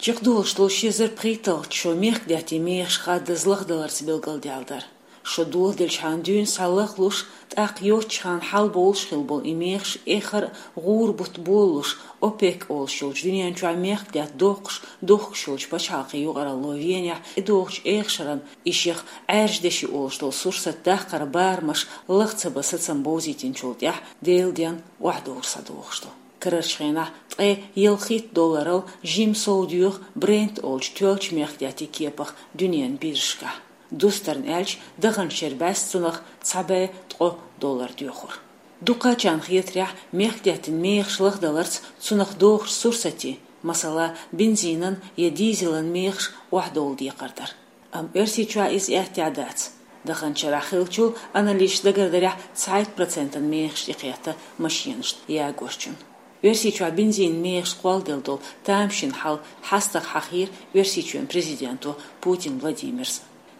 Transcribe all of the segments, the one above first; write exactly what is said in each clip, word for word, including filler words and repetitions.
Чекхдолуш долу ши эзар пхийтталгӀачу шо мехкдаьттан мехаш хаддаза лахдаларца билгалдаьлла дара. Шо доладелчхьана дуьйна схьа лахлуш, тӀаккха йоцчхьана хьалабовлуш хилла болу и мехаш эххар а гӀура бутт болалуш, ОПЕК олуш йолчу дуьнен чохь мехкдаьтта доккхуш дохкуш йолчу пачхьалкхийн юкъаралло Венехь тӀедогӀучу эха шарна и шех Ӏаьржа деши олуш долу сурсат даккхаран барамаш лаха ца бан сацам бовзийтинчул тӀаьхьа Делан денна охьадовр схьадогӀуш ду. Карарчу хенахь ткъе ялхитта долларал жимма сов доьху Brent олучу тоьллачу мехкдаьттан кепах дуьненан биржашкахь. Дустарна аьлча, даханчу шеран бӀаьста цунах цхьа бӀе ткъо доллар доьхура. Дукхачарна хетарехь, мехкдаьттан мехаш лахдаларца цунах догӀучу сурсатийн, масала, бензинан я дизелан мехаш охьадовла декхар дара. Амма Оьрсийчохь иза аьттехьа дац. Даханчу шарахь хиллачул анализаша дагардарехь, цхьайтта процентан мехаш тӀекхетта машенашна ягорчунна. Оьрсийчохь бензинан мехаш кхолладелла долу тамашийна хьал хьастагӀа хьахийра Оьрсийчоьнан президенто Путин Владимира.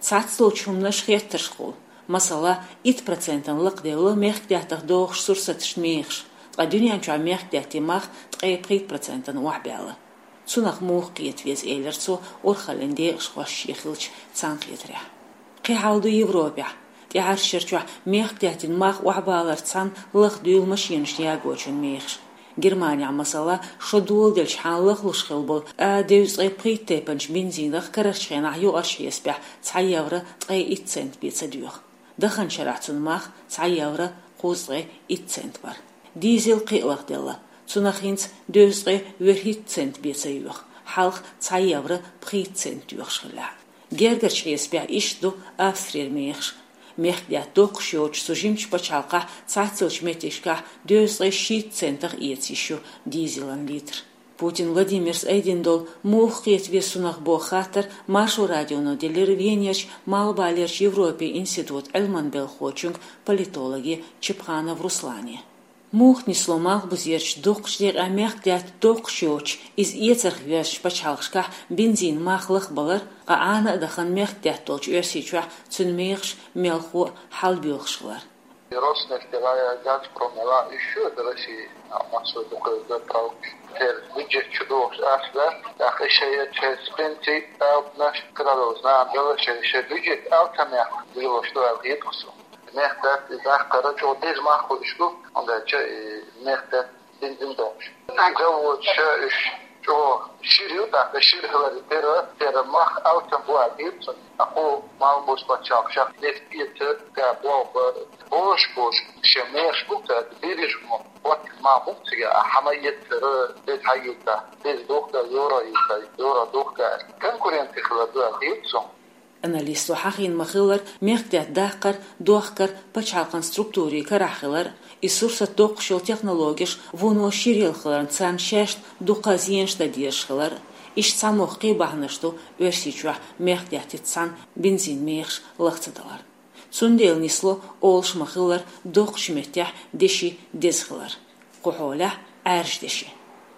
Цхьаццадолчу хӀуманаш хеттаршхула, масала, итт процентана лакхадевлла мехкдаттах догӀучу сурсаташна мехаш, ткъа дуьнен чохь мехкдаьттан мах ткъе пхийтта процентана охьабаьлла. Цунах муха кхета веза, элира цо, урхаллин декъашхошца шен хиллачу цхьаьнакхетарехь. Кхин хьал ду Европехь. ТӀаьхьарчу шарчохь мехкдаьттан мах охьабаларца цхьаьна лахдуьйла машенашна ягочун мехаш. Германехь, масала, шо доладелчхьана лахлуш хилла болу А девзткъе пхийтта тайпанчу бензинах карарчу хенахь юкъарчу хьесапехь цхьа евро ткъе итт цент бен ца доьху. Даханчу шарахь цуьнан мах цхьа евро кхузткъе итт цент бара. Дизел кхин а лахделла, цунах хӀинца дезткъе вуьрхӀитта цент бен ца йоьху, хьалха цхьа евро пхийтта цент доьхуш хиллехь. Гергарчу хьесапехь иштта ду Австрера мехаш. Мехкдаьтта доккхуш йоцчу цу жимачу пачхьалкхехь цхьаццайолчу меттигашкахь дезткъе шийтта центах эца йиш ю дизелан литр. Путин Владимира айдина долу муха кхета веза цунах боху хаттар Маршо радионо делира Венерчу Малхбалерчу Европин институтан Ӏилманан белхахочуьнга, политологе Чепханов Руслане. Муха нисло Малхбузерчу доккхачу декъехь мехкдаьтта доккхуш йоцчу, иза эцарх йоьзначу пачхьалкхашкахь бензинан мах лахбалар, ткъа Ӏана а дахана мехкдаьтта долчу Оьрсийчохь цуьнан мехаш мелхо а хьалабоьлхуш хилар? Роснефть а, Газпром а, уьш ю Россия, а, массо а дукха заправкаш. Церан бюджет чу дохуш ас да, тӀаккха шайн я церан пенсий, алапнаш, крадовзна а белла, шайн, шайн бюджет алапнех билош ду аьлла хеташ ду. Мехкдаьтта и даккхара чӀогӀа деза мах хуьлуш ду, хӀунда аьлча и мехкдаьтта бензин дохуш. Заводаш уьш чӀогӀа шира ю, тӀаккха шира хиларе терра, терра мах алапна бу аьлла хеташ ду. Акху Малхбузерчу пачхьалкхашкахь нефть эца, газ болх бара, божаш, божаш, шен мехаш бу-кх, биржа мо, вот ма бу-кх цига, а хӀума эцара, деза хьаэца, деза духка, евро эца, евро духка. Конкуренция хилар ду аьлла хеташ ду. Аналитикаша хьахийна ма-хиллара, мехкдаьтта даккхар, дохкар пачхьалкхан структурийн карахь хилар, и сурсат доккхуш йолу технологеш вуно ширъелла хиларна царна шаьшна дуккха а зенаш дан дезаш хилар, иштта цхьа мохк кхин бахьанаш ду Оьрсийчохь мехкдаьттица цхьаьна бензинан мехаш лаха ца далар. Цундела нисло, олуш ма-хиллара, доккхачу меттехь деши деза хилар. Кху хьолехь Ӏаьржа деши.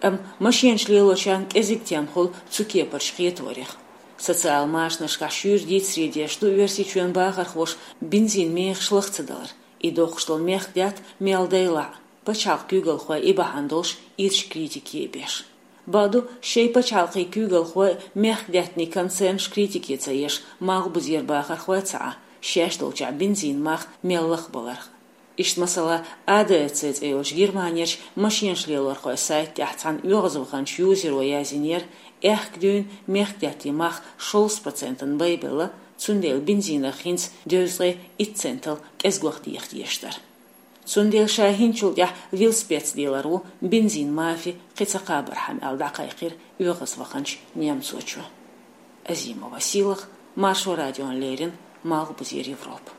Амма машенаш лелочарна кӀезиг тема хуьлу цу кепарчу кхетарех. Социал машанашкахь шуьйра дийцаре дезаш ду Оьрсийчоьнан бахархоша бензинан мехаш лаха ца далар. И доккхуш долу мехкдаьтта мел дайлахь а, пачхьалкхан куьйгалхой и бахьана долуш ирча критике а беш. Бакъду, шайн пачхьалкхийн куьйгалхой, мехкдаттанийн концернаш критике ца еш, Малхбузера бахархой ца Ӏа, шаьш долчохь бензинан мах мел лахбаларх. Иштта, масала, А Д А Ц цӀе йолчу Германерчу машенаш лелорхойн сайта тӀехь цхьана оьгӀазваханчу юзеро яздинера, аьхка дуьйна мехкдаттанийн мах шовзткъа процентана байбелла, цундела бензинах хӀинца дезткъе итт центал кӀезигох деха дезаш дара. Цундела ша хӀинцачул тӀаьхьа велосипедца лелар ву бензинан мафи кхин ца кхабархьама аьлла дӀакхайкхира оьгӀазваханчу немцочо. Азимова Сийлаха, Маршо радиона леррина, Малхбузера Европа.